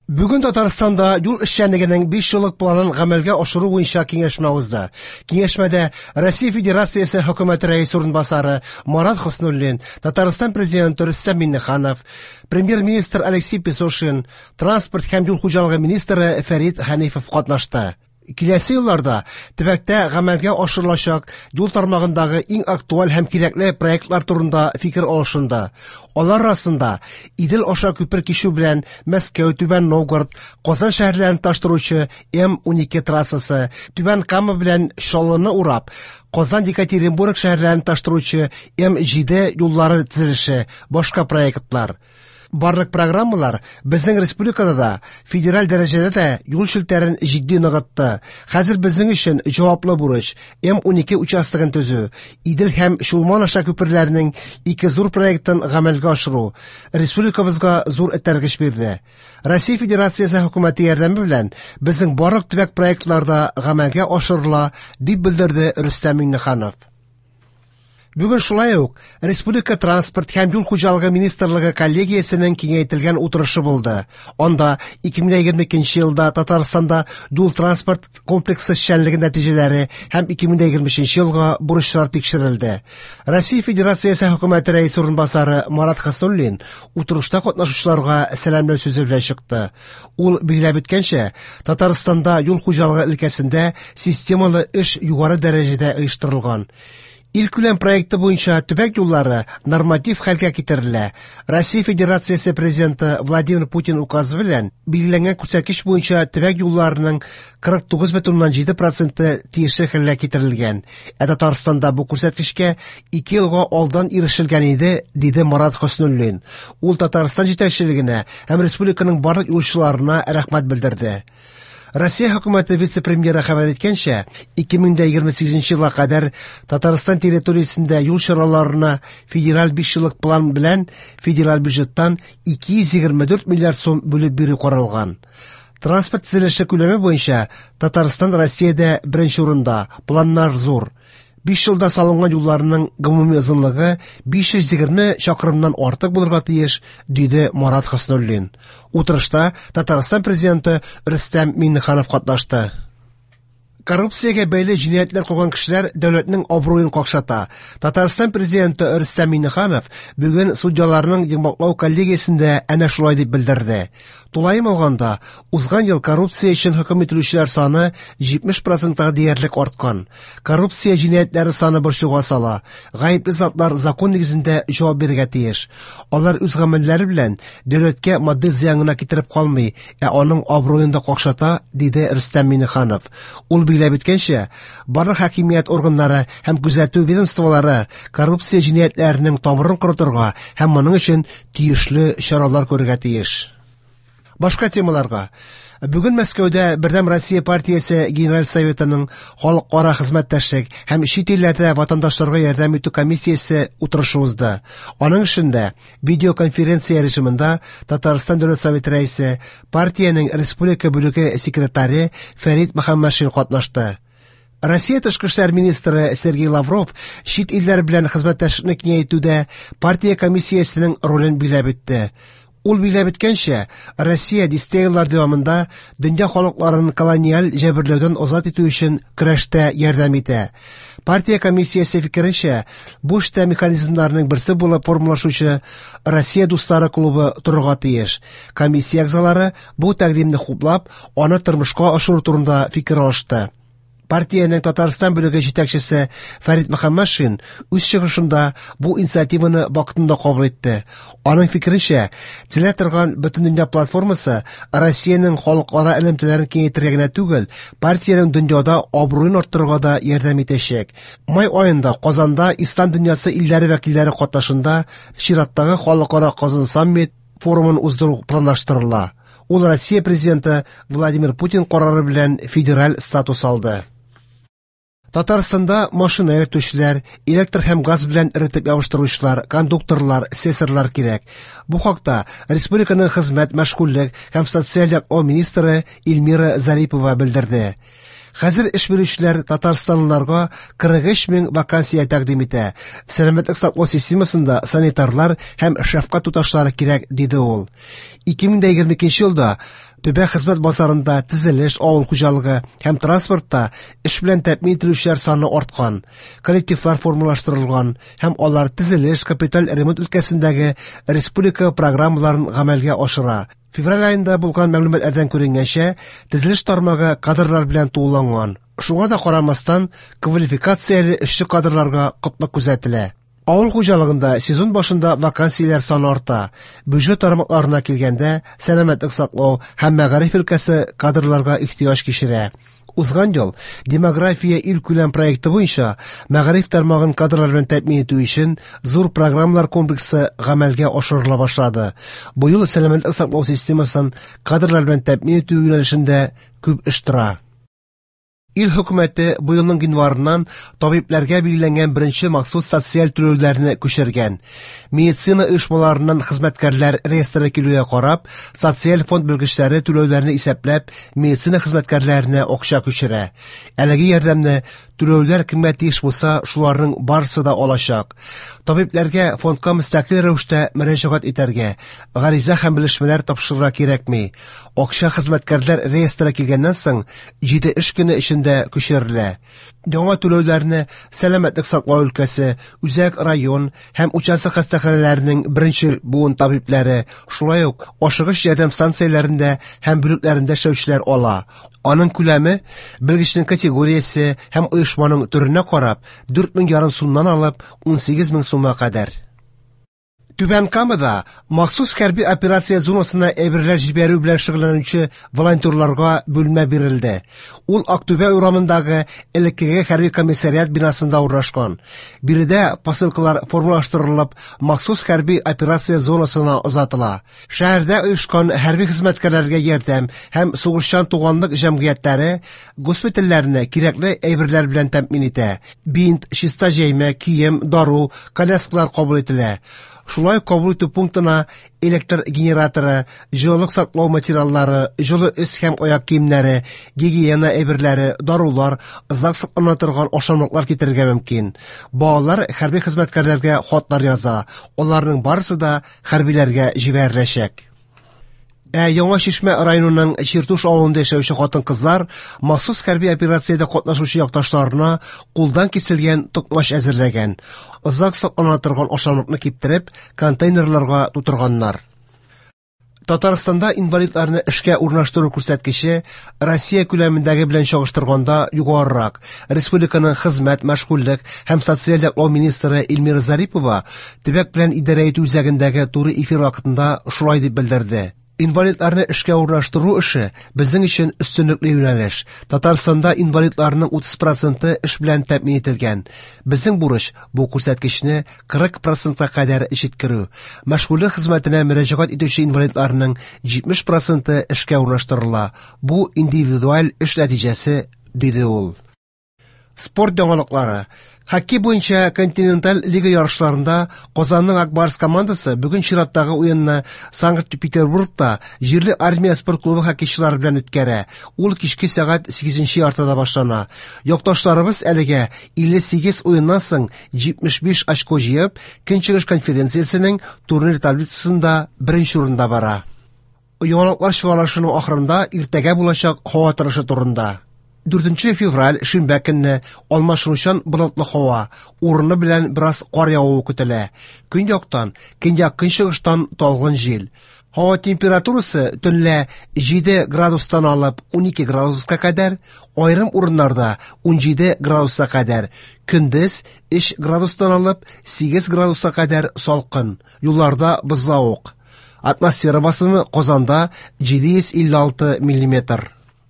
Бүген Татарстанда юл эшчәнлегенең 5 еллык планын гамәлгә ашыру буенча киңәшмә узды. Киңәшмәдә Россия Федерациясе Хөкүмәте Рәисе урынбасары Марат Хөснуллин, Татарстан Президенты Рөстәм Миңнеханов, Премьер-министр Алексей Песошин, транспорт һәм юл хуҗалыгы министры Фәрит Хәнифов катнашты. Киләсе елларда төбәктә гамәлгә ашырылачак юл тармагындагы иң актуаль һәм кирәкле проектлар турында фикер алышынды. Алар арасында Идел аша күпер кичү белән Мәскәү, Түбән Новгород, Казан шәһәрләрен тоташтыручы М-12 трассасы, Түбән Кама белән Чаллыны урап, Казан, Екатеринбург шәһәрләрен тоташтыручы М-7 юллары төзелеше, башка проектлар. Барлык программалар безнең республикада да, федераль дәрәҗәдә дә юл челтәрен җитди ныгытты. Хәзер безнең өчен җаваплы бурыч М-12 участогын төзү, Идел һәм Чулман аша күперләрнең ике зур проектын гамәлгә ашыру республикабызга зур этәргеч бирде. Россия Федерациясе хөкүмәте ярдәме белән безнең барлык төбәк проектлары да гамәлгә ашырыла, дип белдерде Рөстәм Миңнеханов. Бүген шулай ук Республика транспорт һәм юл хуҗалыгы министрлыгы коллегиясенең киңәйтелгән утырышы булды. Анда 2022 елда Татарстанда юл-транспорт комплексы эшчәнлеге нәтиҗәләре һәм 2023 елга бурычлар тикшерелде. Россия Федерациясе хөкүмәте рәисе урынбасары Марат Хәснуллин утырышта катнашучыларга сәламләү сүзе белән чыкты. Ул билгеләп үткәнчә, Татарстанда юл хуҗалыгы өлкәсендә системалы эш югары дәрәҗәдә оештырылган. Илкүләм проекты буенча төбәк юллары норматив хәлгә китерелә. Россия Федерациясе Президенты Владимир Путин указы белән билгеләнгән күрсәткеч буенча төбәк юлларының 49,7 проценты тиешле хәлгә китерелгән. Ә Татарстанда бу күрсәткечкә 2 елга алдан ирешелгән иде, диде Марат Хөснуллин. Ул Татарстан җитәкчелегенә һәм республиканың барлык юлчыларына рәхмәт белдерде. Россия хөкүмәте вице-премьеры хәбәр иткәнчә, 2028 елга кадәр Татарстан территориясендә юл чараларына федераль 5 еллык план белән федераль бюджеттан 224 миллиард сум бүлеп бирү каралган. Транспорт төзелеше күләме буенча Татарстан Россиядә беренче урында, планнар зур. 5 елда салынган юлларның гомуми озынлыгы 520 чакрымнан артык булырга тиеш, диде Марат Хөснуллин. Утырышта Татарстан президенты Рөстәм Миңнеханов катнашты. Коррупциягә бәйле җинаятьләр кылган кешеләр дәүләтнең абруен какшата. Татарстан президенты Рөстәм Миңнеханов бүген судьяларның йомгаклау коллегиясендә әнә шулай дип белдерде. Тулаем алганда, узган ел коррупция өчен хөкем ителүчеләр саны 70 процентка диярлек арткан. Коррупция җинаятьләре саны борчуга сала. Гаепле затлар закон нигезендә җавап бирергә тиеш. Алар үз гамәлләре белән дәүләткә матди зыян гына китереп калмый, ә аның абруен да какшата, диде Рөстәм Миңнеханов. Ул билгеләп үткәнчә, барлык хакимият органнары һәм күзәтү ведомстволары коррупция җинаятьләренең тамырын корытырга һәм моның өчен тиешле чаралар күрергә тиеш. Башка темаларга. Бүген Мәскәүдә Бердәм Россия партиясе Генераль Советының халыкара хезмәттәшлек һәм чит илләрдә ватандашларга ярдәм итү комиссиясе утырышы узды. Аның эшендә видеоконференция режимында Татарстан Дәүләт Советы рәисе, партиянең республика бүлеге секретаре Фәрит Мөхәммәтшин катнашты. Россия тышкы эшләр министры Сергей Лавров чит илләр белән хезмәттәшлекне киңәйтүдә партия комиссиясенең ролен билгеләп үтте. Ул билгеләп үткәнчә, Россия дистә еллар дәвамында дөнья халыкларын колониаль җәберләүдән азат итү өчен көрәштә ярдәм итә. Партия комиссиясе фикеренчә, бу эштә механизмнарның берсе булып формалашучы Россия дуслары клубы торырга тиеш. Комиссия әгъзалары бу тәкъдимне хуплап, аны тормышка ашыру турында фикер алышты. Партиянең Татарстан бүлеге җитәкчесе Фәрит Мөхәммәтшин үз чыгышында бу инициативаны вакытында кабул итте. Аның фикеренчә, төзелә торган Бөтендөнья платформасы Россиянең халыкара элемтәләрен киңәйтергә генә түгел, партиянең дөньяда абруен арттырырга да ярдәм итәчәк. Май аенда Казанда Ислам дөньясы илләре вәкилләре катнашында чираттагы халыкара Казан саммит форумын уздыру планлаштырыла. Ул Россия президенты Владимир Путин карары белән федераль статус алды. Татарстанда машина йөртүчеләр, электр һәм газ белән эретеп ябыштыручылар, кондукторлар, слесарьлар кирәк. Бу хакта республиканың хезмәт, мәшгульлек һәм социаль яклау министры Эльмира Зарипова белдерде. Хәзер эш бирүчеләр татарстанлыларга 43 мең вакансия тәкъдим итә. Сәламәтлек саклау системасында санитарлар һәм шәфкать туташлары кирәк, диде ул. 2022 елда төбәк хезмәт базарында төзелеш, авыл хуҗалыгы һәм транспортта эш белән тәэмин ителүчеләр саны арткан. Коллективлар формалаштырылган һәм алар төзелеш, капиталь ремонт өлкәсендәге республика программаларын гамәлгә ашыра. Февраль аенда булган мәгълүматлардан күренгәнчә, төзелеш тармагы кадрлар белән тулыланган. Шуңа да карамастан, квалификацияле эшче кадрларга кытлык күзәтелә. Авыл хуҗалыгында сезон башында вакансияләр саны арта. Бюджет тармакларына килгәндә, сәламәтлек саклау һәм мәгариф өлкәсе кадрларга ихтыяҗ кичерә. Узган ел Демография илкүләм проекты буенча мәгариф тармагын кадрлар белән тәэмин итү өчен зур программалар комплексы гамәлгә ашырыла башлады. Бу ел сәламәтлек саклау системасын кадрлар белән тәэмин итү юнәлешендә күп эш тора. Ил хөкүмәте бу елның гыйнварыннан табибләргә билгеләнгән беренче махсус социаль түләүләрне күчергән. Медицина оешмаларыннан хезмәткәрләр реестры килүгә карап, социаль фонд белгечләре түләүләрне исәпләп, медицина хезмәткәрләренә акча күчерә. Әлеге ярдәмне түләүләр кемгә тиеш булса, шуларның барысы да алачак. Табибләргә фондка мөстәкыйль рәвештә мөрәҗәгать итәргә, гариза һәм белешмәләр тапшырырга кирәкми. Акча хезмәткәрләр реестры килгәннән соң 7 эш көне эчендә күчерелә. Яңа түләүләрне сәламәтлек саклау өлкәсе, үзәк район һәм участок хастаханәләренең беренче буын табибләре, шулай ук ашыгыч ярдәм станцияләрендә һәм бүлекләрендә эшләүчеләр ала. Аның күләме белгечнең категориясе һәм оешманың төренә карап 4,5 сумнан алып 18 мең сумга кадәр. Түбән Камада махсус хәрби операция зонасына әйберләр җибәрү белән шөгыльләнүче волонтерларга бүлмә бирелде. Ул Актүбә урамындагы элеккеге хәрби комиссариат бинасында урнашкан. Биредә посылкалар формалаштырылып, махсус хәрби операция зонасына озатыла. Шәһәрдә оешкан хәрби хезмәткәрләргә ярдәм һәм сугышчан туганлык җәмгыятьләре госпитальләрне кирәкле әйберләр белән тәэмин итә. Бинт, чиста җәймә, кием, дару, коляскалар кабул ителә. Шулай ук кабул итү пунктына электр генераторы, җылылык саклау материаллары, җылы өс һәм аяк киемнәре, гигиена әйберләре, дарулар, озак саклана торган ашамлыклар китерергә мөмкин. Балалар хәрби хезмәткәрләргә хатлар яза. Аларның барысы да хәрбиләргә җибәреләчәк. Ә Яңа Чишмә районының Чиртуш авылында яшәүче хатын-кызлар махсус хәрби операциядә катнашучы якташларына кулдан киселгән токмач әзерләгән. Озак саклана торган ашамлыкны киптереп, контейнерларга тутырганнар. Татарстанда инвалидларны эшкә урнаштыру күрсәткече Россия күләмендәге белән чагыштырганда югарырак. Республиканың хезмәт, мәшгульлек һәм социаль яклау министры Эльмира Зарипова төбәк белән идарә итү үзәгендәге туры эфир вакытында шулай дип белдерде. Инвалидларны эшкә урнаштыру эше безнең өчен өстенлекле юнәлеш. Татарстанда инвалидларның 30% эш белән тәэмин ителгән. Безнең бурыч бу күрсәткечне 40%-ка кадәр җиткерү. Мәшгульлек хезмәтенә мөрәҗәгать итүче инвалидларның 70% эшкә урнаштырыла. Бу индивидуаль эш нәтиҗәсе, диде ул. Спорт яңалыклары. Хоккей буенча континенталь лига ярышларында Казанның Ак Барс командасы бүген чираттагы уенны Санкт-Петербургта җирле армия спорт клубы хоккейчылары белән үткәрә. Ул кичке сәгать 8:30 башлана. Якташларыбыз әлегә 58 уеннан соң 75 очко җыеп, Көнчыгыш конференциясенең турнир таблицасында беренче урында бара. Яңалыклар чыгарылышының ахырында иртәгә булачак һава торышы турында. 4 февраль шимбә көнне алмашынучан болытлы һава, урыны белән бераз кар явуы көтелә. Көньяктан, көньяк-көнчыгыштан талгын җил. Һава температурасы төнлә 7 градустан алып 12 градуска кадәр, аерым урыннарда 17 градуска кадәр, көндез 3 градустан алып 8 градуска кадәр салкын, юлларда бозлавык. Атмосфера басымы Казанда 756 миллиметр.